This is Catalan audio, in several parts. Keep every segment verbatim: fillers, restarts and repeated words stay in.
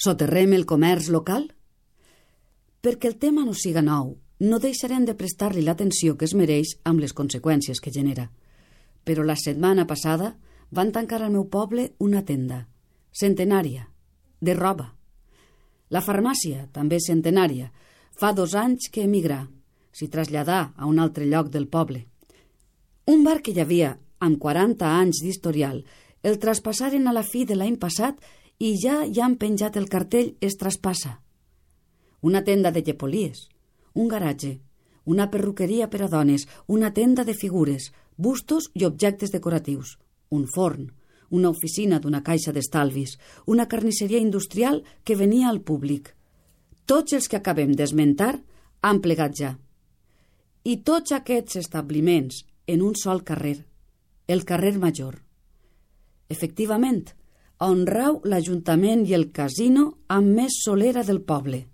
Soterrem el comerç local? Perquè el tema no siga nou, no deixarem de prestar-li l'atenció que es mereix amb les conseqüències que genera. Però la setmana passada van tancar al meu poble una tenda, centenària, de roba. La farmàcia, també centenària, fa dos anys que emigrà, s'hi traslladà a un altre lloc del poble. Un bar que hi havia, amb quaranta anys d'historial, el traspassaren a la fi de l'any passat i ja hi han penjat el cartell «Es traspassa». Una tenda de llepolies, un garatge, una perruqueria per a dones, una tenda de figures, bustos i objectes decoratius, un forn, una oficina d'una caixa d'estalvis, una carnisseria industrial que venia al públic. Tots els que acabem d'esmentar han plegat ja. I tots aquests establiments en un sol carrer, el carrer Major. Efectivament, on rau l'Ajuntament i el casino amb més solera del poble.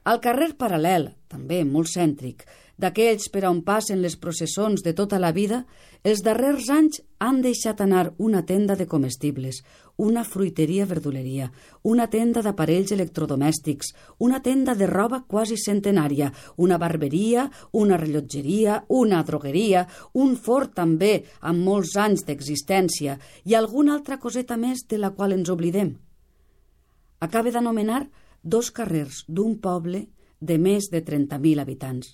Al carrer paral·lel, també molt cèntric, d'aquells per on passen les processons de tota la vida, els darrers anys han deixat anar una tenda de comestibles, una fruiteria-verduleria, una tenda d'aparells electrodomèstics, una tenda de roba quasi centenària, una barberia, una rellotgeria, una drogueria, un forn també amb molts anys d'existència i alguna altra coseta més de la qual ens oblidem. Acaba d'anomenar dos carrers d'un poble de més de trenta mil habitants.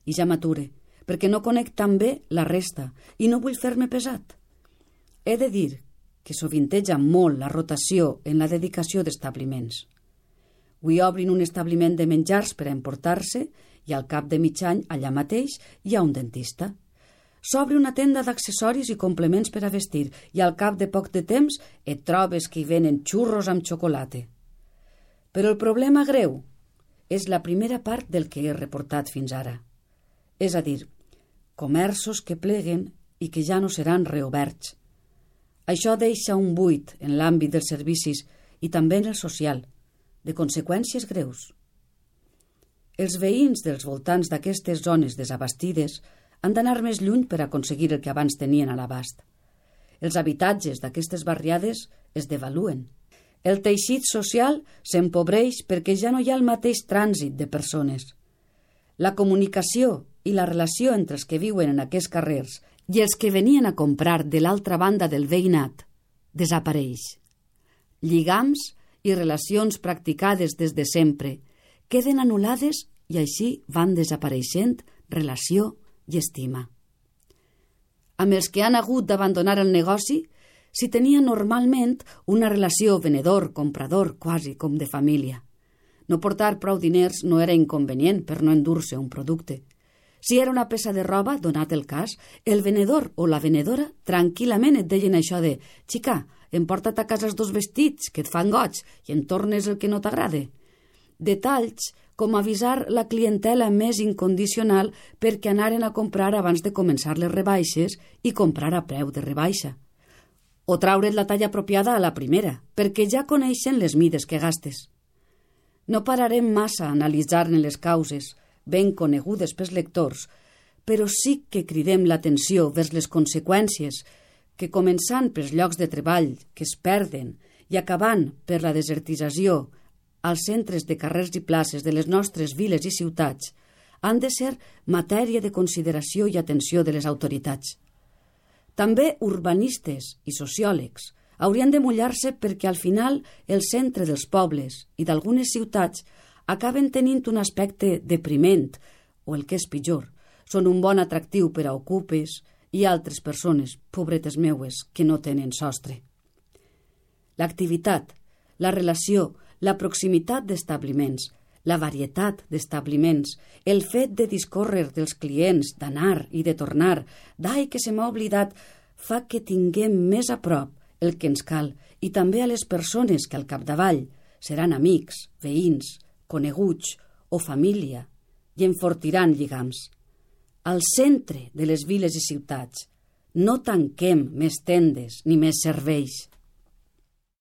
I ja m'ature, perquè no conec tan bé la resta i no vull fer-me pesat. He de dir que sovinteja molt la rotació en la dedicació d'establiments. Avui obrin un establiment de menjars per a emportar-se i al cap de mig any allà mateix hi ha un dentista. S'obre una tenda d'accessoris i complements per a vestir i al cap de poc de temps et trobes que hi venen xurros amb xocolata. Però el problema greu és la primera part del que he reportat fins ara. És a dir, comerços que pleguen i que ja no seran reoberts. Això deixa un buit en l'àmbit dels servicis i també en el social, de conseqüències greus. Els veïns dels voltants d'aquestes zones desabastides han d'anar més lluny per aconseguir el que abans tenien a l'abast. Els habitatges d'aquestes barriades es devaluen. El teixit social s'empobreix perquè ja no hi ha el mateix trànsit de persones. La comunicació i la relació entre els que viuen en aquests carrers i els que venien a comprar de l'altra banda del veïnat desapareix. Lligams i relacions practicades des de sempre queden anul·lades i així van desapareixent relació i estima. Amb els que han hagut d'abandonar el negoci s'hi tenia normalment una relació venedor-comprador quasi com de família. No portar prou diners no era inconvenient per no endur-se un producte. Si era una peça de roba, donat el cas, el venedor o la venedora tranquil·lament et deien això de «Xica, emporta't a casa els dos vestits que et fan goig i en tornes el que no t'agrade». Detalls com avisar la clientela més incondicional perquè anaren a comprar abans de començar les rebaixes i comprar a preu de rebaixa. O traure't la talla apropiada a la primera, perquè ja coneixen les mides que gastes. No pararem massa a analitzar-ne les causes, ben conegudes pels lectors, però sí que cridem l'atenció vers les conseqüències que, començant pels llocs de treball que es perden i acabant per la desertització als centres de carrers i places de les nostres viles i ciutats, han de ser matèria de consideració i atenció de les autoritats. També urbanistes i sociòlegs haurien de mullar-se perquè al final el centre dels pobles i d'algunes ciutats acaben tenint un aspecte depriment o, el que és pitjor, són un bon atractiu per a ocupes i altres persones, pobretes meues, que no tenen sostre. L'activitat, la relació, la proximitat d'establiments, la varietat d'establiments, el fet de discórrer dels clients, d'anar i de tornar, d'ai que se m'ha oblidat, fa que tinguem més a prop el que ens cal i també a les persones que al capdavall seran amics, veïns, coneguts o família i enfortiran lligams. Al centre de les viles i ciutats no tanquem més tendes ni més serveis.